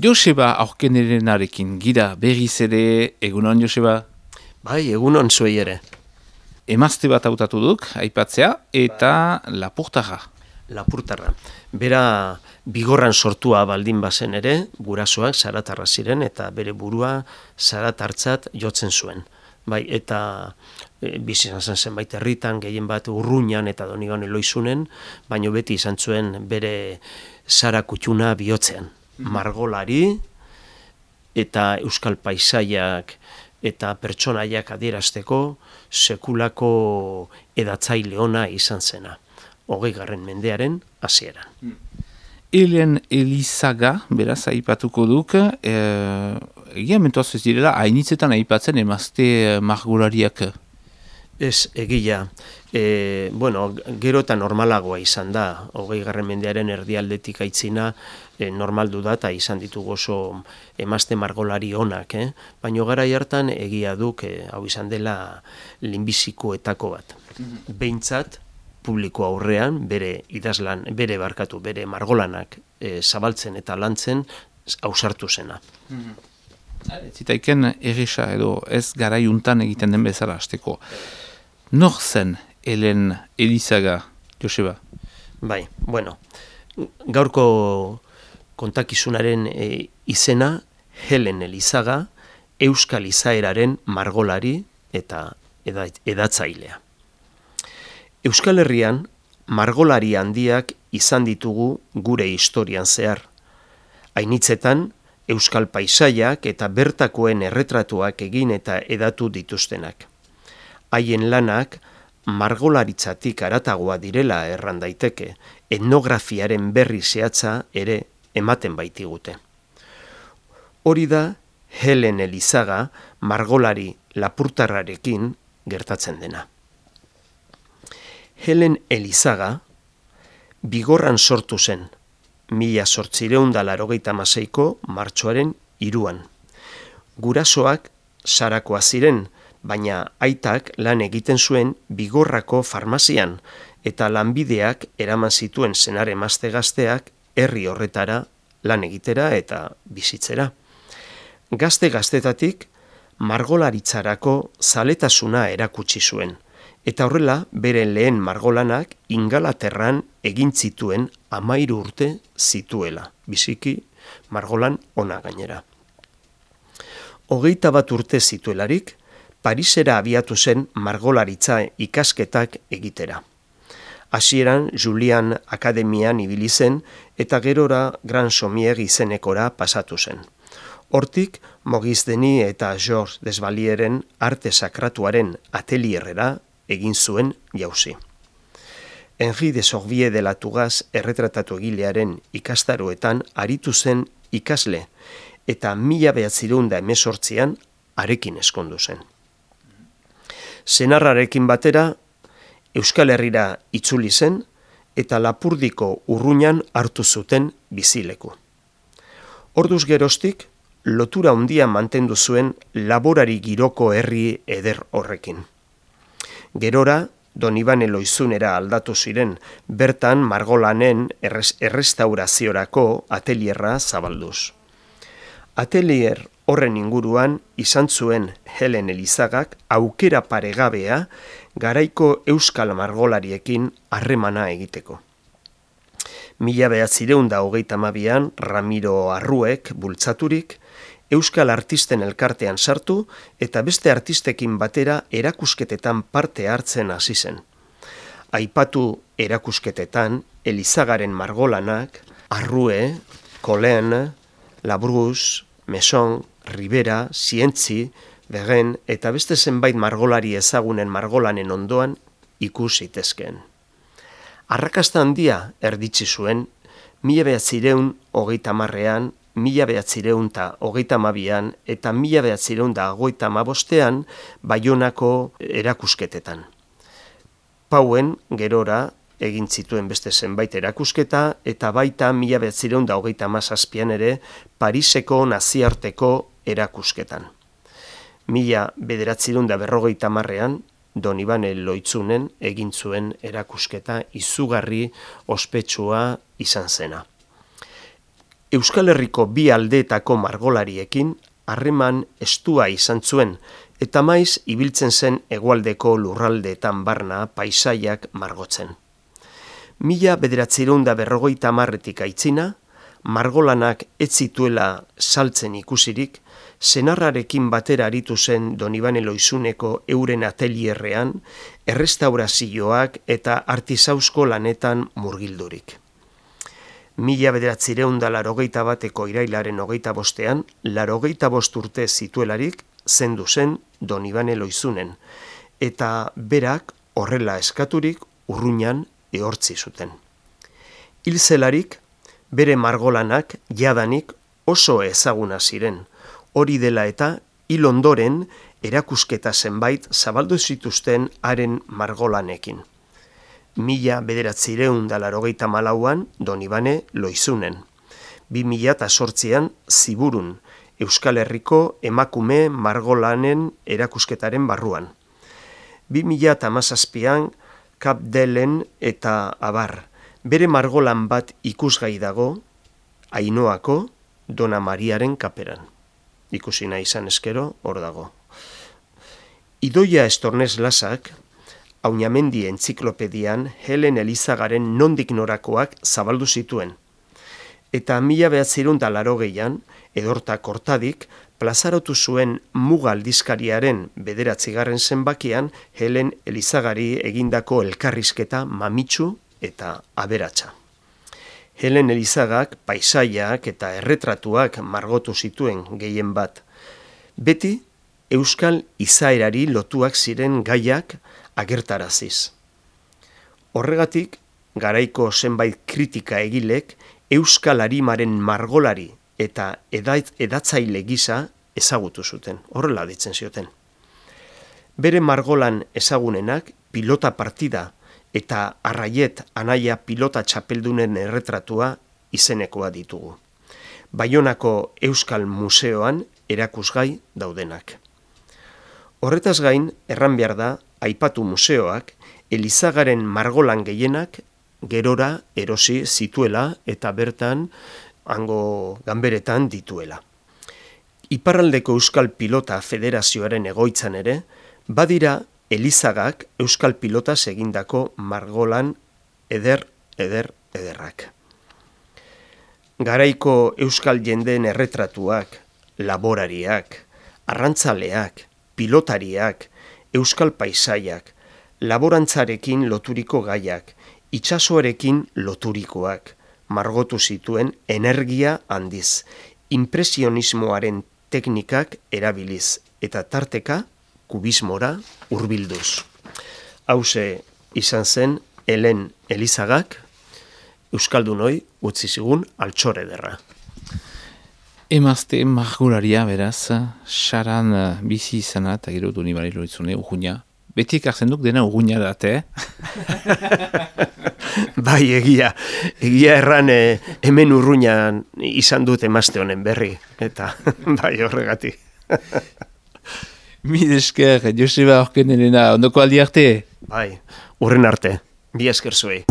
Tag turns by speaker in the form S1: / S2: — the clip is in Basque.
S1: Joseba aurkenerenarekin gira berriz ere, egunon Joseba?
S2: Bai, egunon zuei ere.
S1: Emazte bat hautatu duk, aipatzea, eta lapurtarra.
S2: Lapurtarra. Bera bigorran sortua baldin bazen ere, gurasoak zaratarra ziren eta bere burua zaratartzat jotzen zuen. Bai, eta bizi izan zen zenbait herritan, gehien bat Urruñan eta Doniban Eloizunen, baino beti izan zuen bere zara kutxuna bihotzean. Margolari eta euskal paisaiak eta pertsonaiak adierazteko sekulako edatzaile ona izan zena. 20. mendearen hasieran.
S1: Helen Elizaga, beraz, aipatuko duk, egia mentoaz ez direla, hainitzetan aipatzen emazte margolariak.
S2: Ez, egia. Gero eta normalagoa izan da, 20. mendearen erdialdetik aitzina normaldu da eta izan ditugu oso emazte margolari onak, baina garai hartan egia duk hau izan dela lehenbizikoetako bat. Behintzat, publiko aurrean, bere margolanak zabaltzen eta lantzen ausartu zena.
S1: Zitaiken erresa edo ez garaiuntan egiten den bezala hasteko. Nor zen Helen Elizaga, Joseba?
S2: Bai, gaurko kontakizunaren izena Helen Elizaga, euskal izaeraren margolari eta edatzailea. Euskal Herrian, margolari handiak izan ditugu gure historian zehar. Hainitzetan, euskal paisaiak eta bertakoen erretratuak egin eta edatu dituztenak. Haien lanak margolaritzatik haratagoa direla erran daiteke, etnografiaren berri zehatza ere ematen baitigute. Hori da Helen Elizaga margolari lapurtarrarekin gertatzen dena. Helen Elizaga bigorran sortu zen, 1886ko martxoaren 3. Gurasoak Zarakoa ziren, baina aitak lan egiten zuen Bigorrako farmazian eta lanbideak eraman zituen senar emazte gazteak herri horretara lan egitera eta bizitzera. Gazte-gaztetatik margolaritzarako zaletasuna erakutsi zuen, eta horrela bere lehen margolanak Ingalaterran egin zituen 13 urte zituela, biziki margolan ona gainera. 21 urte zituelarik, Parisera abiatu zen margolaritza ikasketak egitera. Hasieran Julian Akademian ibili zen eta gerora Grand Sommier izenekora pasatu zen. Hortik, Maurice Denis eta Georges Desvalieren arte sakratuaren atelierrera egin zuen jauzi. Henri de Sorbier de la Tugaz erretratatu egilearen ikastaroetan aritu zen ikasle eta 1918an harekin ezkondu zen. Senarrarekin batera Euskal Herrira itzuli zen eta Lapurdiko Urruñan hartu zuten bizileku. Orduz geroztik, lotura handia mantendu zuen laborari giroko herri eder horrekin. Gerora, Doniban Eloizunera aldatu ziren, bertan margolanen errestauraziorako atelierra zabalduz. Atelier horren inguruan izan zuen Helen Elizagak aukera paregabea garaiko euskal margolariekin harremana egiteko. 1932an Ramiro Arruek bultzaturik, euskal artisten elkartean sartu eta beste artistekin batera erakusketetan parte hartzen hasi zen. Aipatu erakusketetan Elizagaren margolanak Arrue, Colin, Labrousse, Messon, Rivera, Zientzi, Begen eta beste zenbait margolari ezagunen margolanen ondoan ikus zitezkeen. Arrakasta handia erditzi zuen 1930an, 1932an eta 1935an Baionako erakusketetan. Pauen gerora egin zituen beste zenbait erakusketa eta baita 1937an ere Pariseko naziarteko erakusketan. 1950an Doniban Eloitzunen egin zuen erakusketa izugarri ospetsua izan zena. Euskal Herriko bi aldeetako margolariekin harreman estua izan zuen, eta maiz ibiltzen zen hegoaldeko lurraldeetan barna paisaiak margotzen. 1950etik aitzina, margolanak ez zituela saltzen ikusirik, senarrarekin batera aritu zen Donibane Loizuneko euren atelierrean, errestaurazioak eta artisausko lanetan murgildurik. 1981eko irailaren 25ean, 85 urte zituelarik zendu zen Donibane Loizunen, eta berak horrela eskaturik urruñan ehortzi zuten. Hil zelarik, bere margolanak jadanik oso ezaguna ziren, hori dela eta hil ondoren erakusketa zenbait zabaldu zituzten haren margolanekin. 1984an Donibane Loizunen, 2008an Ziburun, Euskal Herriko emakume margolanen erakusketaren barruan. 2017an Kapdelen eta abar, bere margolan bat ikusgai dago, Ainoako Dona Mariaren kaperan. Ikusi nahi izan eskero, hor dago. Idoia Estornez Lasak, Aunamendi entziklopedian Helen Elizagaren nondik norakoak zabaldu zituen. Eta 1980an, Edorta Kortadik, plazarotu zuen Muga aldizkariaren 9. zenbakian Helen Elizagari egindako elkarrizketa mamitsu eta aberatsa. Helen Elizagak paisaiak eta erretratuak margotu zituen gehien bat. Beti, euskal izaerari lotuak ziren gaiak agertaraziz. Horregatik, garaiko zenbait kritika egilek euskal arimaren margolari eta edatzaile gisa ezagutu zuten, horrela ditzen zioten. Bere margolan ezagunenak pilota partida eta Arraiet anaia pilota txapeldunen erretratua izenekoa ditugu. Baionako Euskal Museoan erakusgai daudenak. Horretaz gain, erran behar da, aipatu museoak, Elizagaren margolan gehienak gerora erosi zituela eta bertan hango ganberetan dituela. Iparraldeko Euskal Pilota Federazioaren egoitzan ere, badira Elizagak Euskal Pilotaz egindako margolan ederrak. Garaiko euskal jendeen erretratuak, laborariak, arrantzaleak, pilotariak, euskal paisaiak, laborantzarekin loturiko gaiak, itsasoarekin loturikoak, margotu zituen energia handiz, impresionismoaren teknikak erabiliz, eta tarteka kubismora hurbilduz. Hauxe izan zen Helen Elizagak, euskaldunoi utzi zigun altxor ederra.
S1: Emazte margolaria beraz, saran bizi izana eta gero Donibane Loizune urruña. Beti ekartzen duk dena urruña date,
S2: Bai, egia erran hemen urruñan izan dut emazte honen berri, eta bai horregatik.
S1: Mil esker, Joseba Orken Elena, ondoko aldi arte?
S2: Bai, urren arte, bi esker zuei.